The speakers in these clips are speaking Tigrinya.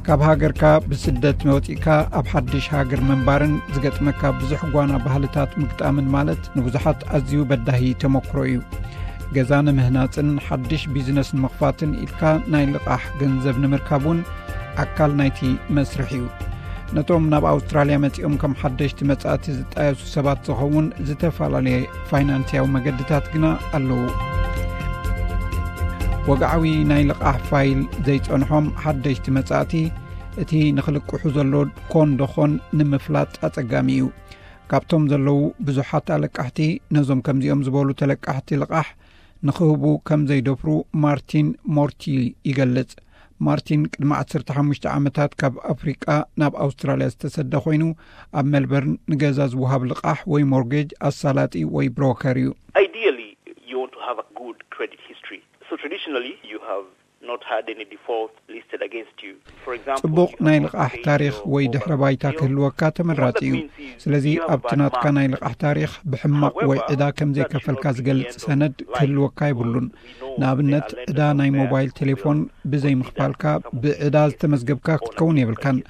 ካብ ሃገርካ ብስደት መውፂእካ ኣብ ሓድሽ ሃገር ምንባርን ዝገጥመካ ብዙሕ ጓና ባህልታት ምግጣምን ማለት ንብዙሓት ኣዝዩ በዳሂ ተመክሮ እዩ። ገዛ ንምህናፅን ሓድሽ ቢዝነስ ንምኽፋትን ኢልካ ናይ ልቓሕ ገንዘብ ንምርካብ እውን ኣካል ናይቲ መስርሕ እዩ። ነቶም ናብ ኣውስትራልያ መፂኦም ከም ሓደሽቲ መጻእቲ ዝጣየሱ ሰባት ዝኸውን ዝተፈላለየ ፋይናንስያዊ መገድታት ግና ኣለዉ። ወግዓዊ ናይ ልቓሕ ፋይል ዘይጸንሖም ሓደሽቲ መጻእቲ እቲ ንኽልቅሑ ዘሎ ኮን ዶኾን ንምፍላጥ ኣጸጋሚ እዩ። ካብቶም ዘለዉ ብዙሓት ኣለቃሕቲ ነዞም ከምዚኦም ዝበሉ ተለቃሕቲ ልቓሕ ንኽህቡ ከም ዘይደፍሩ ማርቲን ሞርቲ ይገልጽ። ማርቲን ቅድሚ ዓሰርተ ሓሙሽተ ዓመታት ካብ ኣፍሪቃ ናብ ኣውስትራልያ ዝተሰደ ኮይኑ ኣብ ሜልበርን ንገዛ ዝወሃብ ልቓሕ ወይ ሞርጌጅ ኣሳላጢ ወይ ብሮከር እዩ። Ideally, you want to have a good credit history. So traditionally, you have not had any default listed against you. For example, ጽቡቕ ናይ ልቓሕ ታሪኽ ወይ ድሕረ ባይታ ክህልወካ ተመራጺ እዩ። ስለዚ ኣብቲ ናትካ ናይ ልቓሕ ታሪኽ ብሕማቕ ወይ ዕዳ ከም ዘይከፈልካ ዝገልጽ ሰነድ ክህልወካ የብሉን። ንኣብነት ዕዳ ናይ ሞባይል ቴሌፎን ብዘይምኽፋልካ ብዕዳ ዝተመዝገብካ ክትከውን የብልካን።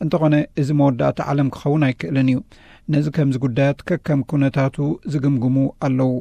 እንተኾነ እዚ መወዳእታ ዓለም ክኸውን ኣይክእልን እዩ። ነዚ ከምዚ ጉዳያት ከከም ኩነታቱ ዝግምግሙ ኣለዉ።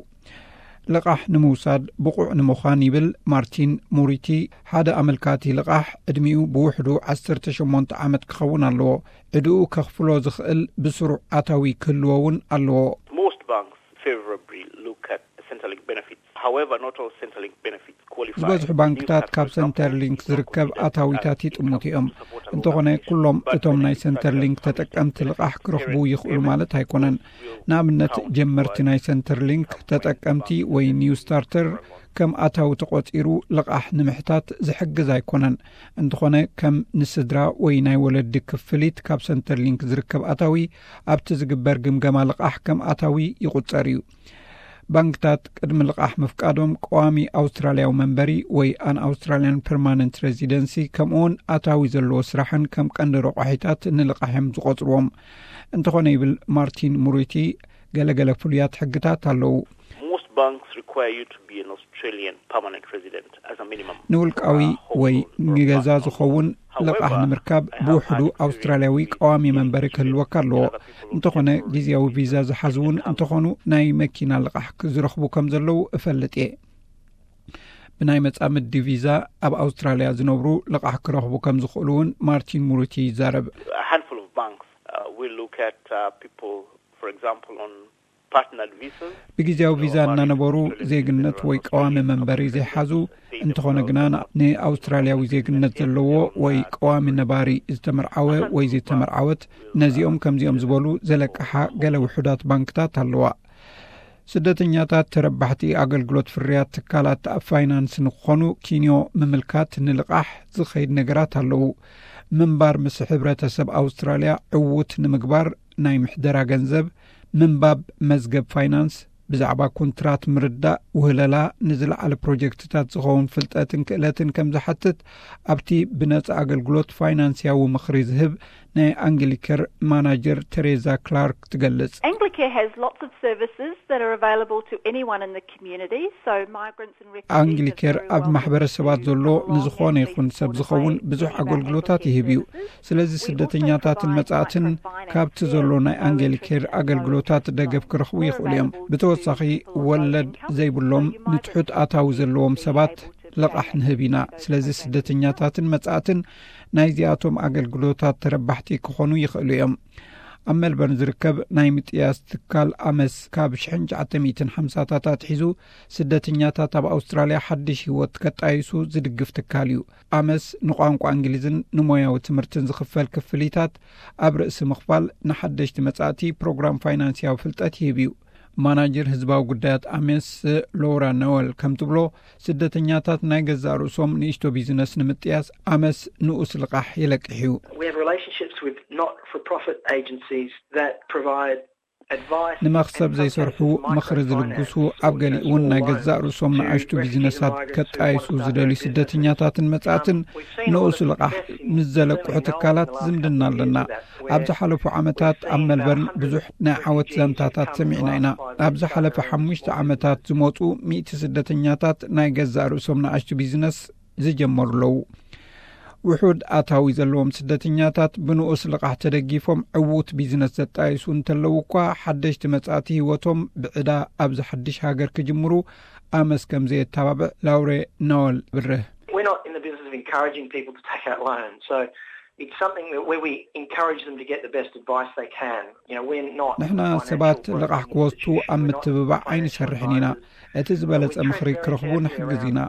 ልቓሕ ንምውሳድ ብቑዕ ንምዃን ይብል ማርቲን ሙሪቲ፣ ሓደ ኣመልካቲ ልቓሕ ዕድሚኡ ብውሕዱ ዓሰርተ ሸሞንተ ዓመት ክኸውን ኣለዎ። ዕድኡ ከኽፍሎ ዝኽእል ብስሩዕ ኣታዊ ክህልዎ እውን ኣለዎ። Most banks favorably look at Centrelink benefits. However, not all Centrelink benefits qualify. ዝበዝሑ ባንክታት ካብ ሰንተርሊንክ ዝርከብ ኣታዊታት ይጥምቱ እዮም። እንተኾነ ኩሎም እቶም ናይ ሰንተርሊንክ ተጠቀምቲ ልቓሕ ክረኽቡ ይኽእሉ ማለት ኣይኮነን። ንኣብነት ጀመርቲ ናይ ሰንተርሊንክ ተጠቀምቲ ወይ ኒው ስታርተር ከም ኣታዊ ተቖጺሩ ልቓሕ ንምሕታት ዝሕግዝ ኣይኮነን። እንተኾነ ከም ንስድራ ወይ ናይ ወለዲ ክፍሊት ካብ ሰንተርሊንክ ዝርከብ ኣታዊ ኣብቲ ዝግበር ግምገማ ልቓሕ ከም ኣታዊ ይቑጸር እዩ። ባንክታት ቅድሚ ልቓሕ ምፍቃዶም ቀዋሚ ኣውስትራልያዊ መንበሪ ወይ ኣን ኣውስትራልያን ፐርማነንት ሬዚደንሲ ከምኡውን ኣታዊ ዘለዎ ስራሕን ከም ቀንዲ ረቋሒታት ንልቓሕ እዮም ዝቖጽርዎም። እንተኾነ ይብል ማርቲን ሙሪቲ፣ ገለገለ ፍሉያት ሕግታት ኣለዉ። Most banks require you to be an Australian permanent resident as a minimum. ንውልቃዊ ወይ ንገዛ ዝኸውን ልቓሕ ንምርካብ ብውሕዱ ኣውስትራልያዊ ቀዋሚ መንበሪ ክህልወካ ኣለዎ። እንተኾነ ግዜያዊ ቪዛ ዝሓዙ እውን እንተኾኑ ናይ መኪና ልቓሕ ክዝረኽቡ ከም ዘለዉ እፈልጥ እየ። ብናይ መጻምዲ ቪዛ ኣብ ኣውስትራልያ ዝነብሩ ልቓሕ ክረኽቡ ከም ዝኽእሉ እውን ማርቲን ሙሪቲ ይዛረብ። A handful of banks uh, will look at uh, people, for example, on partnered visas. ብግዜያዊ ቪዛ እናነበሩ ዜግነት ወይ ቀዋሚ መንበሪ ዘይሓዙ እንተኾነ ግና ንኣውስትራልያዊ ዜግነት ዘለዎ ወይ ቀዋሚ ነባሪ ዝተመርዓወ ወይ ዝተመርዓወት፣ ነዚኦም ከምዚኦም ዝበሉ ዘለቅሓ ገለ ውሑዳት ባንክታት ኣለዋ። ስደተኛታት ተረባሕቲ ኣገልግሎት ፍርያት ትካላት ፋይናንስ ንክኾኑ ኪንዮ ምምልካት ንልቓሕ ዝኸይድ ነገራት ኣለዉ። ምንባር ምስ ሕብረተሰብ ኣውስትራልያ ዕዉት ንምግባር ናይ ምሕደራ ገንዘብ፣ ምንባብ መዝገብ ፋይናንስ፣ ብዛዕባ ኮንትራት ምርዳእ፣ ውህለላ፣ ንዝለዓለ ፕሮጀክትታት ዝኸውን ፍልጠትን ክእለትን ከም ዝሓትት ኣብቲ ብነጻ ኣገልግሎት ፋይናንስያዊ ምኽሪ ዝህብ ናይ ኣንግሊከር ማናጀር ቴሬዛ ክላርክ ትገልጽ። Anglicare has lots of services that are available to anyone in the community, so migrants and refugees are ኣንግሊከር very ኣብ welcome ማሕበረሰባት to ዘሎ come along ንዝኾነ and be ይኹን ሰብ supported ዝኸውን by ብዙሕ Anglicare ኣገልግሎታት Aged ይህብ እዩ። Care Services. ስለዚ ስደተኛታትን መጻእትን ካብቲ ዘሎ ናይ ኣንግሊከር ኣገልግሎታት ደገፍ ክረኽቡ ይኽእሉ እዮም። ብተወሳኺ ወለድ ዘይብሎም ንትሑት ኣታዊ ዘለዎም ሰባት ልቓሕ ንህብ ኢና። ስለዚ ስደተኛታትን መጻእትን ናይዚኣቶም ኣገልግሎታት ተረባሕቲ ክኾኑ ይኽእሉ እዮም። ኣብ ሜልበርን ዝርከብ ናይ ምጥያስ ትካል ኣመስ ካብ ሽሕን ትሽዓተ ሚእትን ሓምሳታት ኣትሒዙ ስደተኛታት ኣብ ኣውስትራልያ ሓድሽ ህይወት ከጣይሱ ዝድግፍ ትካል እዩ። ኣመስ ንቋንቋ እንግሊዝን ንሞያዊ ትምህርትን ዝኽፈል ክፍሊታት ኣብ ርእሲ ምኽፋል ንሓደሽቲ መጻእቲ ፕሮግራም ፋይናንስያዊ ፍልጠት ይህብ እዩ። ማናጀር ህዝባዊ ጉዳያት ኣሜስ ሎራ ነወል ከም ትብሎ ስደተኛታት ናይ ገዛእ ርእሶም ንእሽቶ ቢዝነስ ንምጥያስ ኣመስ ንኡስ ልቓሕ የለቅሕ እዩ። We have relationships with not-for-profit agencies that provide advice. ንመኽሰብ ዘይሰርሑ ምኽሪ ዝልግሱ ኣብ ገሊኡ እውን ናይ ገዛእ ርእሶም ንኣሽቱ ቢዝነሳት ከጣይሱ ዝደልዩ ስደተኛታትን መጻእትን ንኡስ ልቓሕ ምስ ዘለቅሑ ትካላት ዝምድና ኣለና። ኣብ ዝሓለፉ ዓመታት ኣብ ሜልበርን ብዙሕ ናይ ዓወት ዛንታታት ሰሚዕና ኢና። ኣብ ዝሓለፈ ሓሙሽተ ዓመታት ዝመጹ ሚእቲ ስደተኛታት ናይ ገዛእ ርእሶም ንኣሽቱ ቢዝነስ ዝጀመሩ ኣለዉ። ውሑድ ኣታዊ ዘለዎም ስደተኛታት ብንኡስ ልቓሕ ተደጊፎም ዕዉት ቢዝነስ ዘጣየሱ እንተለዉ እኳ፣ ሓደሽቲ መጻእቲ ህይወቶም ብዕዳ ኣብዚ ሓድሽ ሃገር ክጅምሩ ኣመስ ከም ዘየተባብዕ ላውሬ ኖወል ብርህ። We're not in the business of encouraging people to take out loans. So it's something that where we encourage them to get the best advice they can. You know, we're not ንሕና ሰባት ልቓሕ ክወስዱ ኣብ ምትብባዕ ኣይንሰርሕን ኢና። እቲ ዝበለጸ ምኽሪ ክረኽቡ ንሕግዝ ኢና።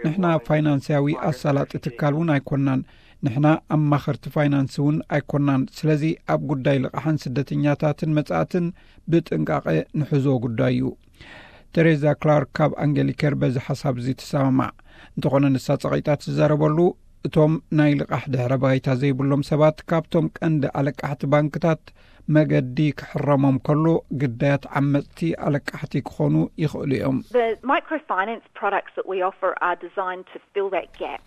ንሕና ፋይናንስያዊ ኣሳላጢ ትካል እውን ኣይኮናን። ንሕና ኣማኸርቲ ፋይናንስ እውን ኣይኮናን። ስለዚ ኣብ ጉዳይ ልቓሕን ስደተኛታትን መጻእትን ብጥንቃቐ ንሕዞ ጉዳይ እዩ። ቴሬዛ ክላርክ ካብ ኣንገሊከር በዚ ሓሳብ እዚ ትሰማማዕ። እንተኾነ ንሳ ጸቒጣ ትዛረበሉ፣ እቶም ናይ ልቓሕ ድሕረ ባይታ ዘይብሎም ሰባት ካብቶም ቀንዲ ኣለቃሕቲ ባንክታት መገዲ ክሕረሞም ከሎ፣ ግዳያት ዓመጽቲ ኣለቃሕቲ ክኾኑ ይኽእሉ እዮም። The microfinance products that we offer are designed to fill that gap.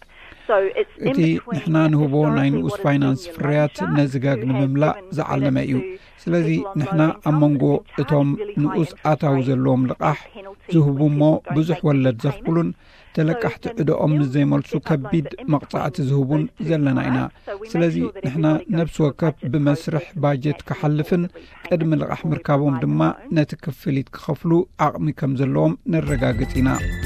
So it's in እቲ between ንሕና ንህቦ ናይ ንኡስ ፋይናንስ ፍርያት ነዚ ጋግ ንምምላእ ዝዓለመ እዩ። ስለዚ ንሕና ኣብ መንጎ እቶም ንኡስ ኣታዊ ዘለዎም ልቓሕ ዝህቡ እሞ ብዙሕ ወለድ ዘኽፍሉን ተለቃሕቲ ዕድኦም ምስ ዘይመልሱ ከቢድ መቕጻዕቲ ዝህቡን ዘለና ኢና። ስለዚ ንሕና ነብሲ ወከፍ ብመስርሕ ባጀት ክሓልፍን ቅድሚ ልቓሕ ምርካቦም ድማ ነቲ ክፍሊት ክኸፍሉ ዓቕሚ ከም ዘለዎም ነረጋግጽ ኢና።